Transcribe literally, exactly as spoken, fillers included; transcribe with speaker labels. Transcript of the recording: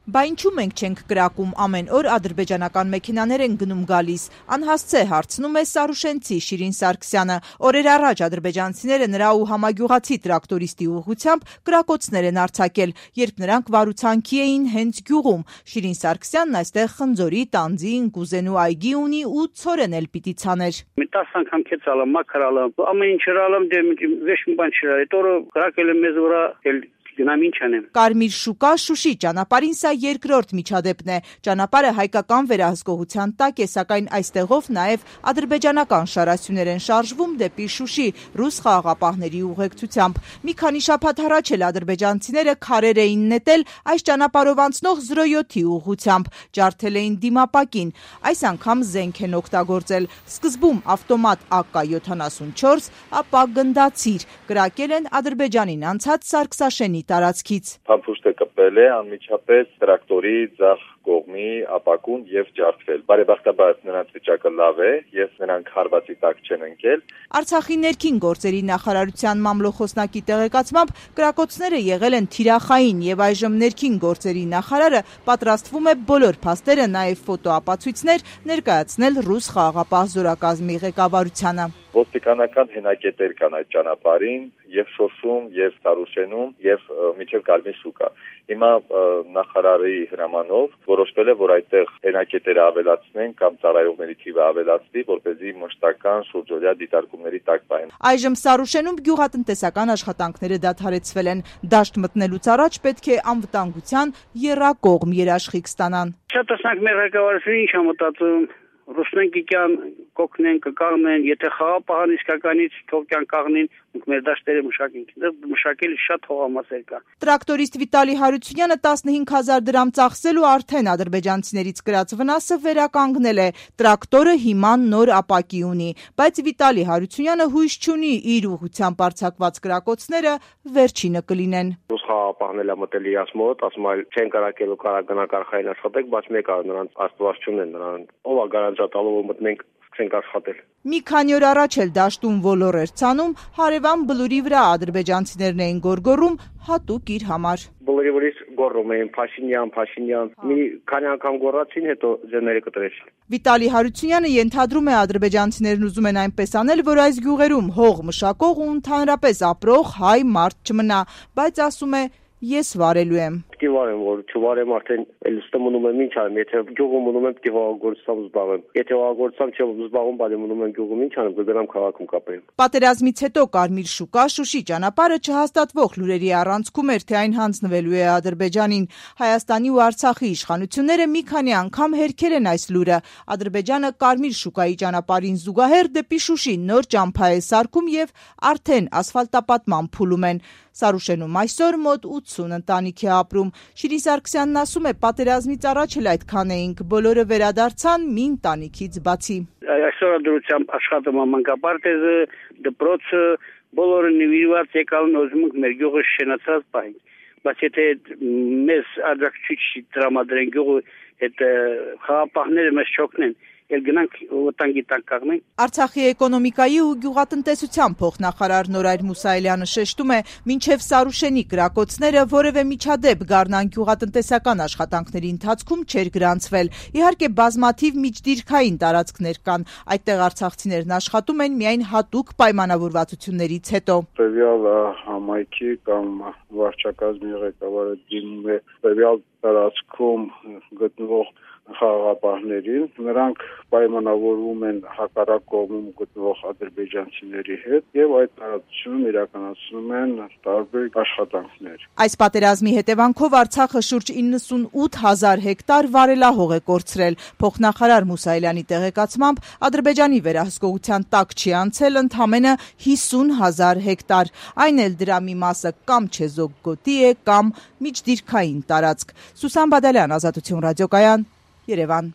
Speaker 1: Բա ինչու մենք չենք կրակում, ամեն օր ադրբեջանական մեքենաներ են գնում գալիս, անհասցե հարցնում է սարուշենցի Շիրին Սարգսյանը։ Օրեր առաջ ադրբեջանցիները նրա ու համագյուղացի տրակտորիստի ուղղությամբ կրակոցներ են արձակել, երբ նրանք վարուցանքի էին հենց գյուղում։ Շիրին Սարգսյանն այստեղ խնձորի, տանձի, ընկուզենու այգի ունի ու ցորեն էլ պիտի ցաներ։
Speaker 2: Մի տասը անգամ քեցալը, մաքրալը, ամեն ինչ հրալը, դե վեշ մի բան չրալ, այդ օրը կրակել է մեզ վրա
Speaker 1: Կարմիր շուկա Շուշի ճանապարհին սա երկրորդ միջադեպն է։ Ճանապարհը հայկական վերահսկողության տակ է, սակայն այստեղով նաև ադրբեջանական շարասյուներ են շարժվում դեպի Շուշի ռուս խաղաղապահների ուղեկցությամբ։ Մի քանի շաբաթ առաջ էլ ադրբեջանցիները քարեր էին նետել այս ճանապարհով անցնող զրո յոթի ուղղությամբ, ջարդել էին դիմապակին։ Այս անգամ զենք են օգտագործել։ Սկզբում ավտոմատ A K յոթանասունչորս, ապա գնդացիր։ Կրակել են Ադրբեջանին անցած Սարգսաշենի տարածքից։
Speaker 3: Փամփուշտը կպել է անմիջապես տրակտորի ձախ կողմի ապակուն եւ ջարդվել։ Բարեբախտաբար նրանց վիճակը լավ է եւ նրանք հարվածի տակ չեն ընկել։
Speaker 1: Արցախի ներքին գործերի նախարարության մամլոխոսնակի տեղեկացմամբ կրակոցները եղել են թիրախային եւ այժմ ներքին գործերի նախարարը պատրաստվում է բոլոր փաստերը, նաեւ ֆոտոապացույցներ ներկայացնել ռուս խաղաղապահ զորակազմի ղեկավարությանը։
Speaker 3: Ոստիկանական հենակետեր կան այդ ճանապարհին եւ Շոշում եւ Սարուշենում եւ միջև Կարմիր շուկա։ Հիմա նախարարի հրամանով որոշվել է, որ այդտեղ հենակետերը ավելացնեն կամ ծառայողների թիվը ավելացվի, որպեսզի մշտական շուրջօրյա դիտարկումների տակ պահեն։
Speaker 1: Այժմ Սարուշենում գյուղատնտեսական աշխատանքները դադարեցվել են։ Դաշտ մտնելուց առաջ պետք է անվտանգության եռակողմ երաշխիք ստանան։
Speaker 2: Շատ տեսանք մեր ղեկավարությունը ինչ է մտածում։ Ռուսնենկյան կոկնեն կկաղնեն, եթե խաղապահան իսկականից թողքյան կաղնին, մեր դաշտերը մշակենք, մշակել շատ հողամասեր կա։
Speaker 1: Տրակտորիստ Վիտալի Հարությունյանը տասնհինգ հազար դրամ ծախսել ու արդեն ադրբեջանցիներից կրած վնասը վերականգնել է։ Տրակտորը հիմա նոր ապակի ունի, բայց Վիտալի Հարությունյանը հույս չունի իր ուղղությամբ արձակված կրակոցները վերջինը կլինեն։
Speaker 4: Ռուս խաղապահն է մտել իրաց մոտ, ասում է չեն կարակելու կարագնակարխային աշխատեք, բայց մեկ է նրանց աստված չունեն նրան։ Ով է գարանտալով որ մտնենք սկսենք աշխատել։
Speaker 1: Մի քանի օր առաջ էլ դաշտում ոլոր էր ցանում, հարևան բլուրի վրա ադրբեջանցիներն էին գորգորում հատուկ իր համար։
Speaker 4: Բլուրի վրից գոռում էին Փաշինյան, Փաշինյան։ Մի քանի անգամ գոռացին, հետո ձեռները կտրեցին։
Speaker 1: Վիտալի Հարությունյանը ենթադրում է ադրբեջանցիներն ուզում են այնպես անել, որ այս գյուղերում հող մշակող ու ընդհանրապես ապրող հայ մարդ չմնա, բայց ասում է ես վարելու եմ։
Speaker 4: Պետք է վարեմ, որ չվարեմ արդեն էլստը մնում եմ ինչ անեմ, եթե գյուղում մնում եմ պետք է հողագործությամբ զբաղվեմ։ Եթե հողագործությամբ չեմ զբաղվում, բայց մնում եմ գյուղում ինչ անեմ, կգնամ քաղաքում կապեմ։
Speaker 1: Պատերազմից հետո Կարմիր շուկա Շուշի ճանապարհը չհաստատվող լուրերի առանցքում էր, թե այն հանձնվելու է Ադրբեջանին։ Հայաստանի ու Արցախի իշխանությունները մի քանի անգամ հերքել են այս լուրը։ Ադրբեջանը Կարմիր շուկայի ճանապարհին զուգահեռ դեպի Շուշի նոր ճամփա է սարքում եւ արդեն ասֆալտապատման փուլում են։ Սարուշենում այսօր մոտ ութսուն ընտանիք է ապրում։ Շիրին Սարգսյանն ասում է, պատերազմից առաջ էլ այդքան էինք, բոլորը վերադարձան մի ընտանիքից բացի։
Speaker 2: Այսօր դրությամբ աշխատում է մանկապարտեզը, դպրոցը, բոլորը նվիրված եկան ուզում ենք մեր գյուղը շենացած պահենք։ Բայց եթե մեզ աջակցիչ տրամադրեն գյուղը, այդ խաղապահները մեզ չօգնեն, էլ գնանք վտանգի տակ կաղնենք։
Speaker 1: Արցախի էկոնոմիկայի ու գյուղատնտեսության փոխնախարար Նորայր Մուսայելյանը շեշտում է, մինչև Սարուշենի կրակոցները որևէ միջադեպ Գառնան գյուղատնտեսական աշխատանքների ընթացքում չէր գրանցվել։ Իհարկե բազմաթիվ միջդիրքային տարածքներ կան, այդտեղ արցախցիներն աշխատում են միայն հատուկ պայմանավորվածություններից հետո։
Speaker 5: Տվյալ համայնքի կամ վարչակազմի ղեկավարը դիմում է տվյալ տարածքում գտնվող խաղաղապահներին, նրանք պայմանավորվում են հակառակ կողմում գտնվող ադրբեջանցիների հետ եւ այդ տարածությունում իրականացնում են տարբեր աշխատանքներ։
Speaker 1: Այս պատերազմի հետևանքով Արցախը շուրջ իննսունութ հազար հեկտար վարելահող է կորցրել։ Փոխնախարար Մուսայելյանի տեղեկացմամբ Ադրբեջանի վերահսկողության տակ չի անցել ընդամենը հիսուն հազար հեկտար։ Այն էլ դրա մի մասը կամ չեզոք գոտի է, կամ միջդիրքային տարածք։ Սուսան Բադալյան, Ազատություն ռադիոկայան, Երևան։